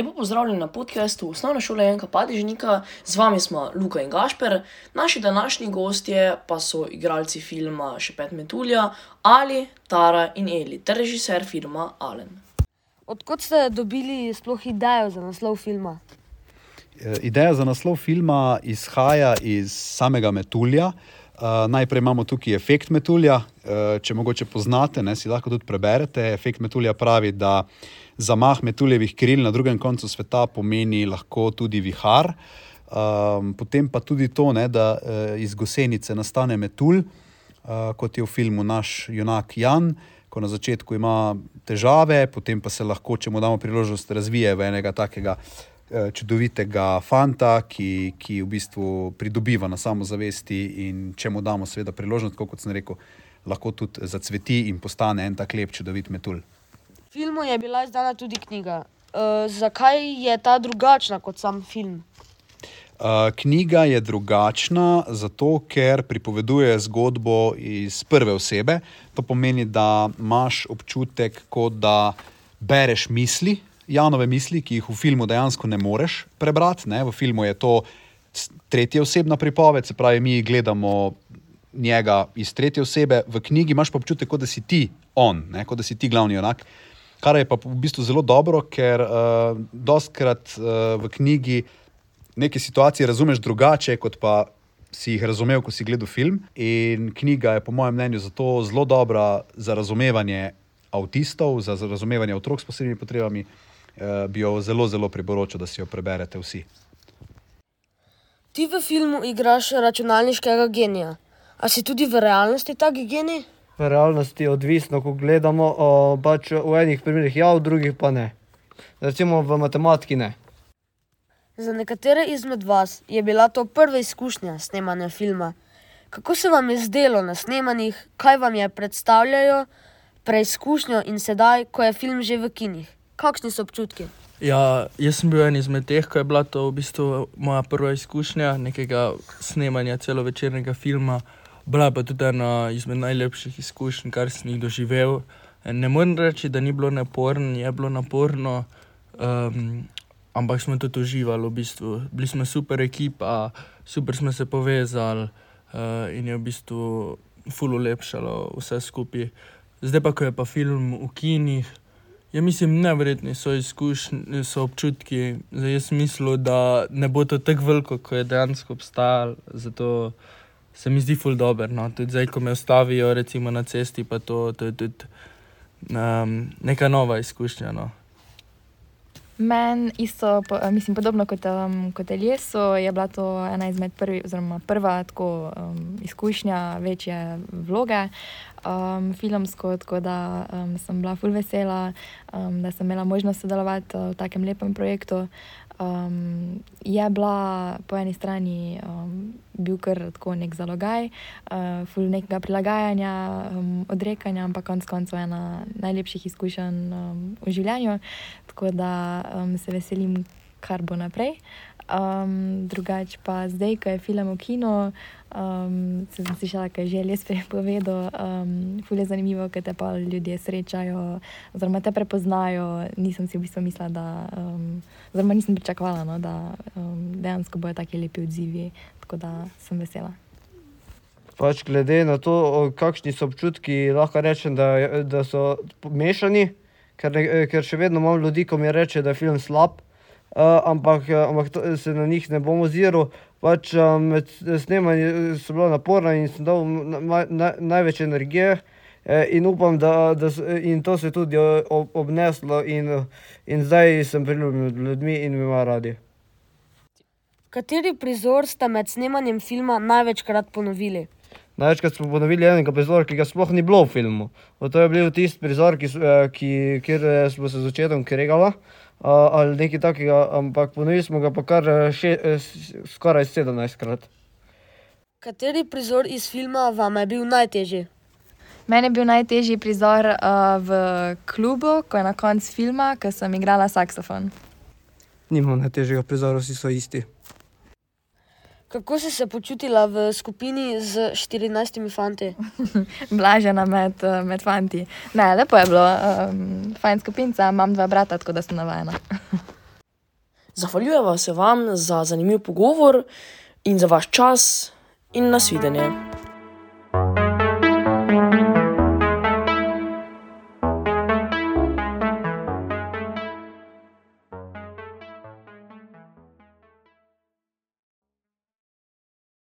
Lepo pozdravljeni na podcastu Osnovne šole Janka Padežnika. Z vami smo Luka in Gašper. Naši današnji gostje pa so igralci filma Šepet metulja Ali, Tara in Eli ter režiser filma Alen. Odkot ste dobili sploh idejo za naslov filma? Ideja za naslov filma izhaja iz samega metulja. Najprej imamo tukaj efekt metulja. Če mogoče poznate, si lahko tudi preberete. Efekt metulja pravi, da zamah metuljevih kril na drugem koncu sveta pomeni lahko tudi vihar. Potem pa tudi to, da iz gosenice nastane metulj, kot je v filmu naš junak Jan, ko na začetku ima težave, potem pa se lahko, če mu damo priložnost, razvije v enega takega čudovitega fanta, ki v bistvu pridobiva na samozavesti, in če mu damo seveda priložnost, kot sem rekel, lahko tudi zacveti in postane en tak lep, čudovit metulj. V filmu je bila izdana tudi knjiga. Zakaj je ta drugačna kot sam film? Knjiga je drugačna zato, ker pripoveduje zgodbo iz prve osebe. To pomeni, da imaš občutek, kot da bereš misli, Janove misli, ki jih v filmu dejansko ne moreš prebrati. V filmu je to tretja osebna pripoved, se pravi, mi gledamo njega iz tretje osebe. V knjigi imaš pa občutek, kot da si ti on, kot da si ti glavni junak. Kar je pa v bistvu zelo dobro, ker dostikrat v knjigi neke situacije razumeš drugače, kot pa si jih razumel, ko si gledal film. In knjiga je po mojem mnenju zato zelo dobra za razumevanje avtistov, za razumevanje otrok s posebnimi potrebami. Bi jo zelo, zelo priporočal, da si jo preberete vsi. Ti v filmu igraš računalniškega genija. A si tudi v realnosti tak genij? V realnosti odvisno, ko gledamo, pač v enih primerih ja, v drugih pa ne. Recimo v matematiki ne. Za nekatere izmed vas je bila to prva izkušnja snemanja filma. Kako se vam je zdelo na snemanjih, kaj vam je predstavljajo preizkušnjo in sedaj, ko je film že v kinih? Kakšni so občutki? Ja, jaz sem bil en izmed teh, ko je bila to v bistvu moja prva izkušnja nekega snemanja celovečernega filma. Bila pa tudi ena izmed najlepših izkušenj, kar sem jih doživel. Ne morem reči, da ni bilo naporno, je bilo naporno, ampak smo tudi uživali v bistvu. Bili smo super ekipa, super smo se povezali in je v bistvu ful ulepšalo vse skupaj. Zdaj pa, ko je pa film v kinih, mislim, neverjetni so izkušnje, so občutki. Zdaj jaz mislil, da ne bo to tako veliko, ko je dejansko obstajalo, zato se mi zdi ful dober. Tudi zdaj, ko me ustavijo recimo na cesti, pa to je tudi neka nova izkušnja. Meni isto, podobno kot Eliesu, je bila to ena izmed prva tako izkušnja večje vloge filmsko, tako da sem bila ful vesela, da sem imela možnost sodelovati v takem lepem projektu. Je bila po eni strani bil kar tako nek zalogaj, ful nekega prilagajanja, odrekanja, ampak konec koncev ena najlepših izkušenj v življenju, tako da se veselim, kar bo naprej. Drugače pa zdaj, ko je film v kino, sem slišala, kaj že Elies povedal, ful je zanimivo, ker te pa ljudje srečajo, oziroma te prepoznajo. Nisem si v bistvu mislila, oziroma nisem pričakovala, da dejansko bojo taki lepi odzivi, tako da sem vesela. Pač glede na to, kakšni so občutki, lahko rečem, da so mešani, ker še vedno imam ljudi, ko mi reče, da je film slab, ampak se na njih ne bom oziral. Pač med snemanjem so bila naporna in sem dal največ energije in upam, in to se je tudi obneslo in zdaj sem priljubljen med ljudmi in me imajo radi. Kateri prizor ste med snemanjem filma največkrat ponovili? Največkrat smo ponovili enega prizora, ki ga sploh ni bilo v filmu. To je bil tisti prizor, kjer smo se z očetom kregali, ali nekaj takega, ampak ponovili smo ga pa kar skoraj 17-krat. Kateri prizor iz filma vam je bil najtežji? Meni je bil najtežji prizor v klubu, ko je na koncu filma, ko sem igrala saksofon. Nimam najtežjega prizora, vsi so isti. Kako si se počutila v skupini z 14 fanti? Blažena med fanti. Ne, lepo je bilo. Fajn skupinca, imam 2 brata, tako da sem navajena. Zahvaljujeva se vam za zanimiv pogovor in za vaš čas in nasvidenje.